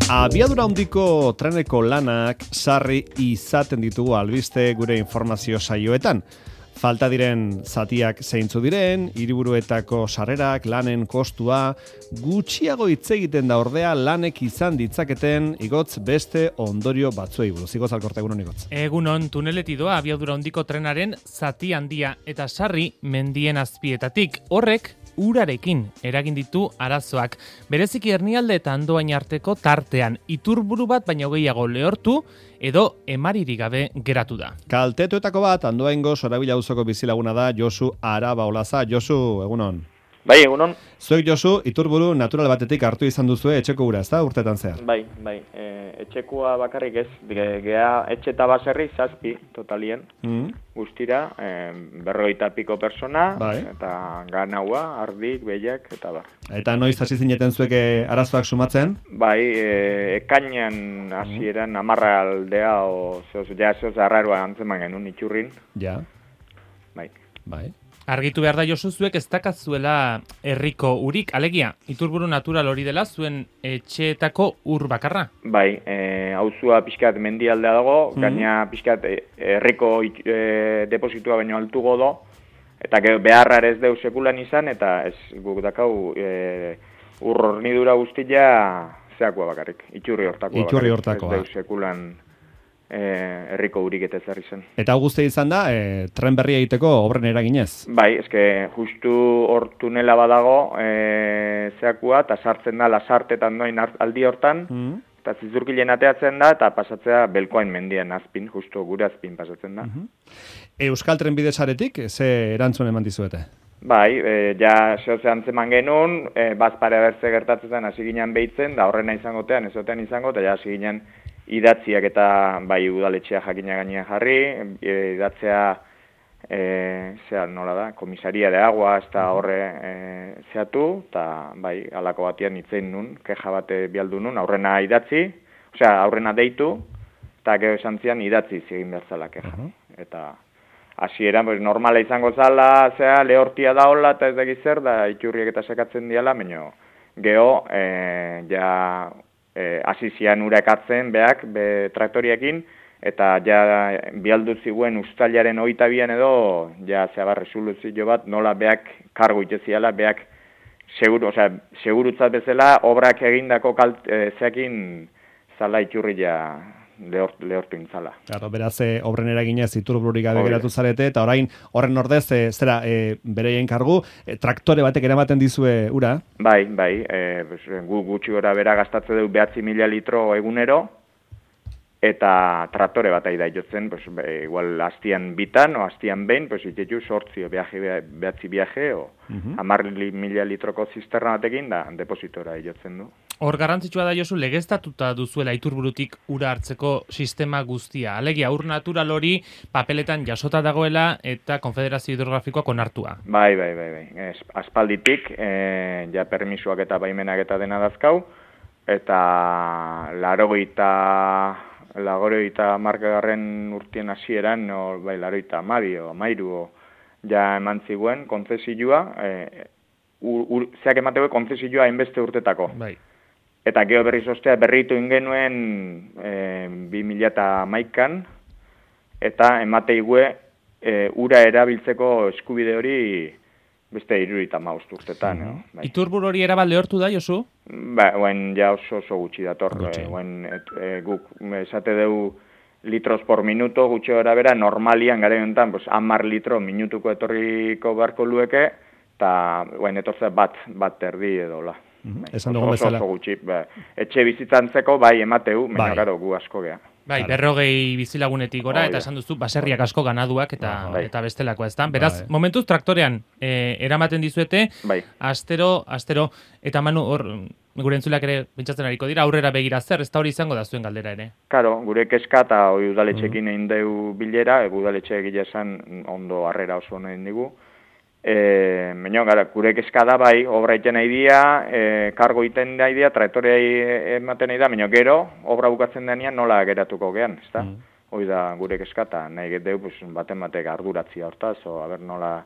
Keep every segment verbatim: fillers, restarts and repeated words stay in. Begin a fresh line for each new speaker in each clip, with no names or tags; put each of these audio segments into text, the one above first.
Abiadura handiko treneko lanak sarri izaten ditugu albiste gure informazio saioetan. Falta diren zatiak zeintzu diren, hiriburuetako sarrerak, lanen kostua, gutxiago hitz egiten da ordea lanek izan ditzaketen igotz beste ondorio batzuei buruz. Igotz Alkorta, egunon igotz.
Egunon, tuneletik doa abiadura handiko trenaren zati handia eta sarri mendien azpietatik. Horrek urarekin eragin ditu arazoak. Bereziki Hernialde eta Andoain arteko tartean iturburu bat baino gehiago lehortu edo emaririk gabe geratu da.
Kaltetuetako bat Andoaingo Sorabila auzoko bizilaguna da Josu Arabaolaza. Josu, egunon.
Bai, egunon.
Zuek Josu, iturburu natural batetik hartu izan duzue etxeko ura, ezta urtetan zehar?
Bai, bai. E, etxekoa bakarrik ez, ge, gea etxe eta baserri zazpi totalien. Mm. Guztira, e, berrogeita piko persona, bai. Eta ganaua, ardik, behiak, eta bar.
Eta noiz hasi zineten zuek arazoak sumatzen?
Bai, e, ekainan hasieran amarra aldea, o, zeoz, ja, zeoz, arraroa antzeman genuen itxurrin.
Ja.
Bai.
Bai.
Argitu behar da Josu zuek ez dakazuela herriko urik, alegia, iturburu natural hori dela zuen etxeetako ur bakarra?
Bai, e, auzua pixkat mendialdea dago, mm-hmm. Gaina pixkat herriko e, depositua baino altugo do, eta beharra ez deu sekulan izan, eta ez guk dakau e, ur hornidura guztia zeakoa bakarrik, itxurri hortakoa
Iturri
bakarrik,
hortakoa.
Ez deu sekulan herriko urik eta ezarri zen.
Eta hau guztia izan da, e, tren berria egiteko obren eraginez?
Bai, eske justu hor tunela badago e, zeakua, eta sartzen da lasartetan doin aldi hortan, mm. eta zizurkilen ateatzen da, eta pasatzea belkoain mendian azpin, justu gure azpin pasatzen da.
Mm-hmm. Euskal Trenbide saretik, ze erantzun eman dizuete?
Bai, e, ja zehoze antzeman genuen, e, bazpare bertze gertatzen hasi ginen behitzen, da horrena izangotean, ezotean izango, eta ja hasi ginen idatziak eta bai udaletxea jakina gainean jarri, e, idatzea e, zea nola da, komisaria de agua ez da horre e, zeatu, eta bai alako batian itzein nun, keja bate bialdu nun, aurrena idatzi, osea aurrena deitu, eta gero esan zian idatzi egin behar zala keja. Uh-huh. Eta hasieran pues, normala izango zala, zea lehortia da hola, eta ez da zer, da iturriek eta sekatzen diala, baina geho e, ja hasi e, zian ura ekartzen beak, be traktoriekin, eta ja bialdu ziguen uztailaren hogeita bian edo, ja zeabar resoluzio bat, nola beak kargo iteziala, beak seguru, osea, segurutzat bezala, obrak egindako kalt, e, zeakin zala iturri ja lehort, lehortu intzala.
Claro, beraz, e, obren eraginez iturbururik gabe geratu zarete, eta orain horren ordez, e, zera, e, bereien kargu, e, traktore batek eramaten dizue ura?
Bai, bai, e, pues, gu gutxi gora bera gastatze du behatzi mila litro egunero, eta traktore bat aida jotzen, pues, be, igual hastian bitan, o hastian behin, pues, itetu sortzi, o behaje, behatzi viaje, o uh-huh. amar mila litroko zisterna batekin, da, depositora jotzen du.
Hor garrantzitsua da Josu, legeztatuta duzuela iturburutik ura hartzeko sistema guztia. Alegia, ur natural hori papeletan jasota dagoela eta Konfederazio Hidrografikoak onartua. bai,
bai, bai, bai. Es, aspalditik, e, ja permisuak eta baimenak eta dena dazkau, eta larogeita, larogeita markagarren urtien hasieran, no, bai, larogeita amabi, o amairu, ja eman ziguen, kontzesioa, e, ur, ur, zeak emateko kontzesioa hainbeste urtetako.
Bai.
Eta geho berriz ostea berritu ingenuen e, bi mila hamaikan, eta emate igue e, ura erabiltzeko eskubide hori beste hirurogeita hamabost urtetan. Mm-hmm. No? Bai.
Iturburu hori erabat lehortu da, Josu?
Ba, oen ja oso oso gutxi dator. E, oen, et, e, guk esate deu litros por minuto gutxi gora bera, normalian gara jontan, pues, hamar litro minutuko etorriko beharko lueke, eta oen etortzea bat, bat erdi edo la.
Mm-hmm. Esan dugu bezala.
Oso gutxi, ba, etxe bizitzantzeko bai emateu, baina bai. Garo gu asko gea.
Bai, claro. Berrogei bizilagunetik gora, oh, eta esan duzu, baserriak asko ganaduak eta bai. Eta bestelakoa, ez da? Beraz, bai. Momentuz traktorean e, eramaten dizuete, bai. Astero, astero, eta Manu, hor, gure entzulak ere pentsatzen ariko dira, aurrera begira zer, ez da hori izango da zuen galdera ere?
Karo, gure keska eta hori udaletxekin egin mm-hmm. deu bilera, udaletxe egile esan ondo harrera oso nahi digu. E, Baina, gara, gure kezka da bai, obra iten nahi dia, e, kargo iten nahi dia, traktorea ematen nahi da, baina gero, obra bukatzen denean nola geratuko gean, ez da? Mm. Hoi da gure kezka, eta nahi geteu, pues, baten batek arduratzia hortaz, o, haber nola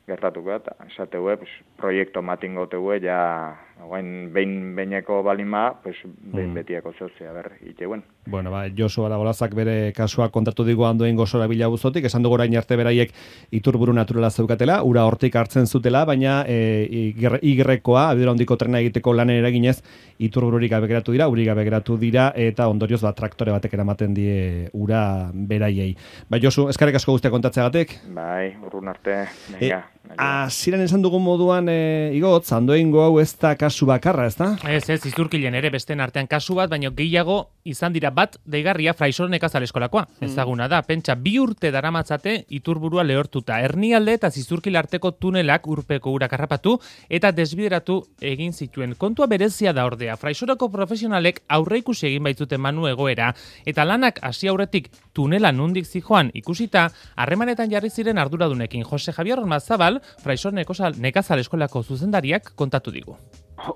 gertatuko, eta esateue, pues, proiektu matingo teue, ja, guain, behin beineko balima, pues, behin mm. betiako zeuzea, ber, iteuen.
Bueno, ba, Josu Aragolazak bere kasua kontatu digu andoen gozora bila buzotik, esan dugu orain arte beraiek iturburu naturala zeukatela, ura hortik hartzen zutela, baina e, igrekoa, abidura hondiko trena egiteko lanen eraginez, iturbururik gabe geratu dira, uri gabe geratu dira, eta ondorioz ba, traktore batek eramaten die ura beraiei. Ba, Josu, eskarek asko guztia kontatzeagatik?
Bai, urrun arte, venga.
Hasieran esan dugun moduan, e, igotz, andoengo hau ez da kasu bakarra, ez da?
Ez, ez, izurkilen ere besten artean kasu bat, baina gehiago izan dira bat deigarria Fraisor Nekazal Eskolakoa. Mm. Ezaguna da, pentsa bi urte daramatzate iturburua lehortuta. Hernialde eta Zizurkil arteko tunelak urpeko urak harrapatu eta desbideratu egin zituen. Kontua berezia da ordea. Fraisorako profesionalek aurreikusi egin baitzuten manu egoera eta lanak hasi aurretik tunela nundik zijoan ikusita, harremanetan jarri ziren arduradunekin. Jose Javier Ormazabal, Fraisor Nekazal Eskolako zuzendariak kontatu digu.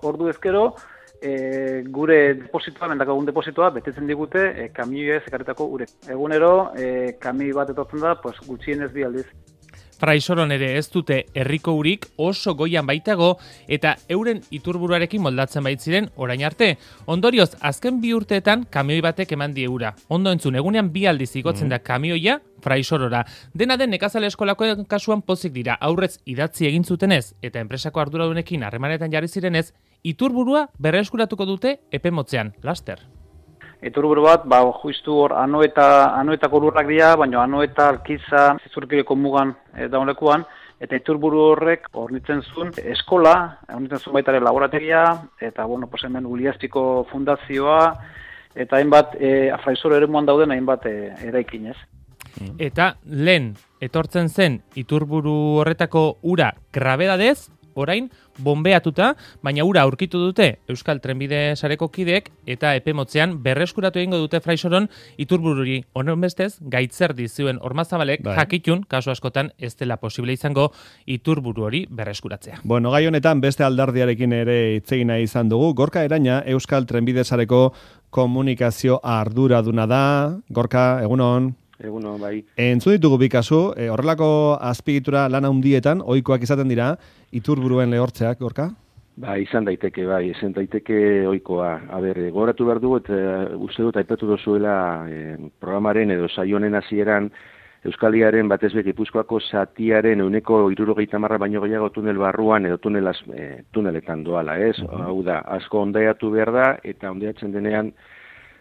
Ordu ezkero, e, gure depositoa, mendakagun depositoa, betetzen digute e, kamioia ekarritako urek. Egunero, e, kamioi bat etortzen da, pues, gutxienez bi aldiz.
Fraisoron ere ez dute herriko urik oso goian baitago eta euren iturburuarekin moldatzen baitziren orain arte. Ondorioz, azken bi urteetan kamioi batek eman die ura. Ondo entzun, egunean bi aldiz igotzen da kamioia Fraisorora. Dena den Nekazal Eskolako kasuan pozik dira, aurrez idatzi egin zutenez eta enpresako arduradunekin harremanetan jarri zirenez, iturburua berreskuratuko dute epe motzean, laster.
Iturburu bat, ba, justu hor, anoeta, anoetako lurrak dira, baina anoeta alkiza Zizurkileko mugan e, daunlekuan, eta iturburu horrek hornitzen zuen eskola, hornitzen zuen baita ere laborategia, eta, bueno, pues hemen Uliastiko fundazioa, eta hainbat, e, Fraisor eremuan dauden hainbat e, eraikinez.
Eta lehen etortzen zen iturburu horretako ura grabedadez, orain bombeatuta, baina ura aurkitu dute Euskal Trenbide sareko kideek eta epe motzean berreskuratu egingo dute Fraisoron iturbururi. Honen bestez, gaitzer dizuen Ormazabalek bai. Jakitun, kasu askotan ez dela posible izango iturburu hori berreskuratzea.
Bueno, gai honetan beste aldardiarekin ere itzegina izan dugu. Gorka Eraina, Euskal Trenbide sareko komunikazio arduraduna da. Gorka, egunon.
Eguno, bai.
Entzun ditugu bi kasu, e, horrelako azpiegitura lana handietan ohikoak izaten dira iturburuen lehortzeak, Gorka?
Ba, izan daiteke, bai, izan daiteke ohikoa. A ber, gogoratu behar dugu, eta uste dut aipatu dozuela e, programaren edo saionen hasieran Euskaliaren batez be Gipuzkoako zatiaren ehuneko hirurogeita hamar baino gehiago tunel barruan edo tunelaz, e, tuneletan doala, ez? Uh-huh. Hau da, asko ondaiatu behar da, eta ondaiatzen denean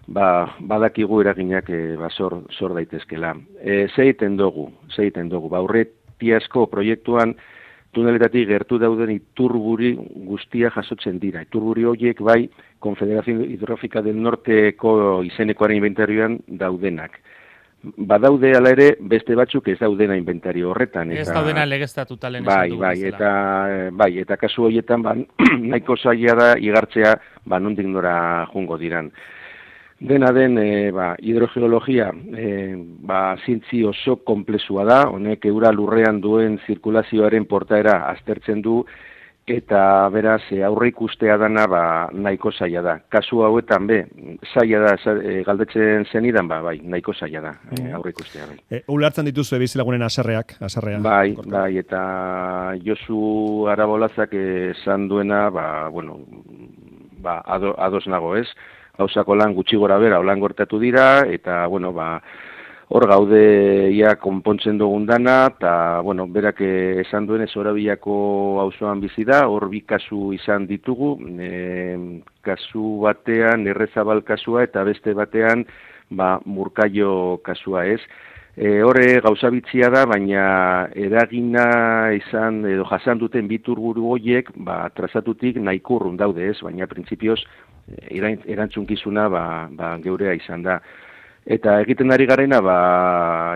ba, badakigu eraginak e, ba, sor, sor daitezkela. E, zeiten dugu, zeiten dugu, ba, aurretiazko proiektuan tuneletatik gertu dauden iturburi guztia jasotzen dira. Iturburi horiek bai Konfederazio Hidrografika del Norteko izenekoaren inventarioan daudenak. Badaude ala ere beste batzuk ez daudena inventario horretan.
Ez eta, daudena legeztatuta lehen
bai,
esan dugu.
Bai, eta, bai, eta kasu horietan ba, nahiko zaila da igartzea ba, nondik nora jungo diran. Dena den, e, ba, hidrogeologia e, ba, zintzi oso komplexua da, honek eura lurrean duen zirkulazioaren portaera aztertzen du, eta beraz aurre ikustea dana ba, nahiko zaila da. Kasu hauetan be, zaila da, e, galdetzen zenidan, ba, bai, nahiko zaila da, e, aurre ikustea. Bai.
E, ulertzen dituzu ebizilagunen aserreak, aserrea.
Bai, Gorka. Bai, eta Josu Arabolazak esan duena, ba, bueno, ba, ado, ados nago ez, gauzako lan gutxi gora bera, holan gortatu dira, eta, bueno, ba, hor gaude ia konpontzen dugun dana, eta, bueno, berak esan duen ez Orabiako auzoan bizi da, hor bi kasu izan ditugu, e, kasu batean Errezabal kasua, eta beste batean, ba, Murkaio kasua ez. E, horre gauza bitzia da, baina eragina izan, edo jasan duten biturburu horiek, ba, trazatutik nahiko urrun daude ez, baina printzipioz, erantzunkizuna ba, ba, geurea izan da. Eta egiten ari garena, ba,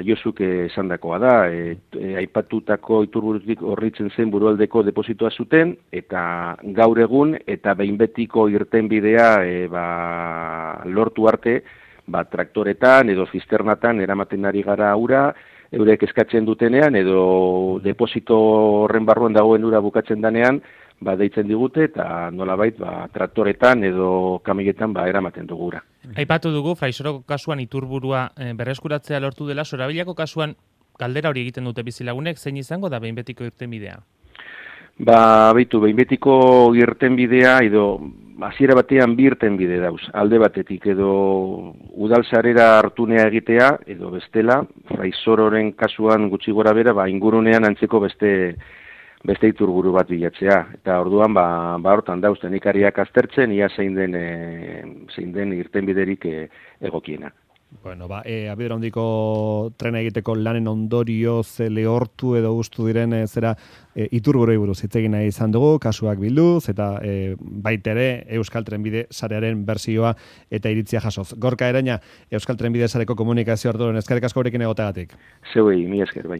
Josuk esandakoa da, e, e, aipatutako iturburutik horritzen zen burualdeko depositoa zuten, eta gaur egun, eta behin betiko irtenbidea e, ba, lortu arte, ba, traktoretan edo zisternatan eramaten ari gara ura, eurek eskatzen dutenean, edo deposito horren barruan dagoen ura bukatzen danean, ba, deitzen digute, eta nolabait, ba, traktoretan edo kamioetan ba, eramaten dugura.
Aipatu dugu, Fraisoroko kasuan iturburua e, berreskuratzea lortu dela, Sorabilako kasuan galdera hori egiten dute bizilagunek, zein izango da behin betiko irtenbidea?
Ba, beitu, behin betiko irtenbidea edo hasiera batean bi irtenbide dauz. Alde batetik edo udalsarera hartunea egitea edo bestela, Fraisororen kasuan gutxi gora bera, ba, ingurunean antzeko beste beste iturburu bat bilatzea. Eta orduan, ba, ba hortan dauz, teknikariak aztertzen, ia zein den, e, zein den irtenbiderik e, egokiena.
Bueno, ba, e, abiadura handiko trena egiteko lanen ondorio ze lehortu edo gustu diren e, zera e, iturburoi buruz hitz egin nahi izan dugu, kasuak bilduz eta e, baita ere Euskal Trenbide sarearen bersioa eta iritzia jasoz. Gorka Eraina, Euskal Trenbide sareko komunikazio arduran eskerrik asko gurekin egoteagatik.
Zeuei, mi esker, bai.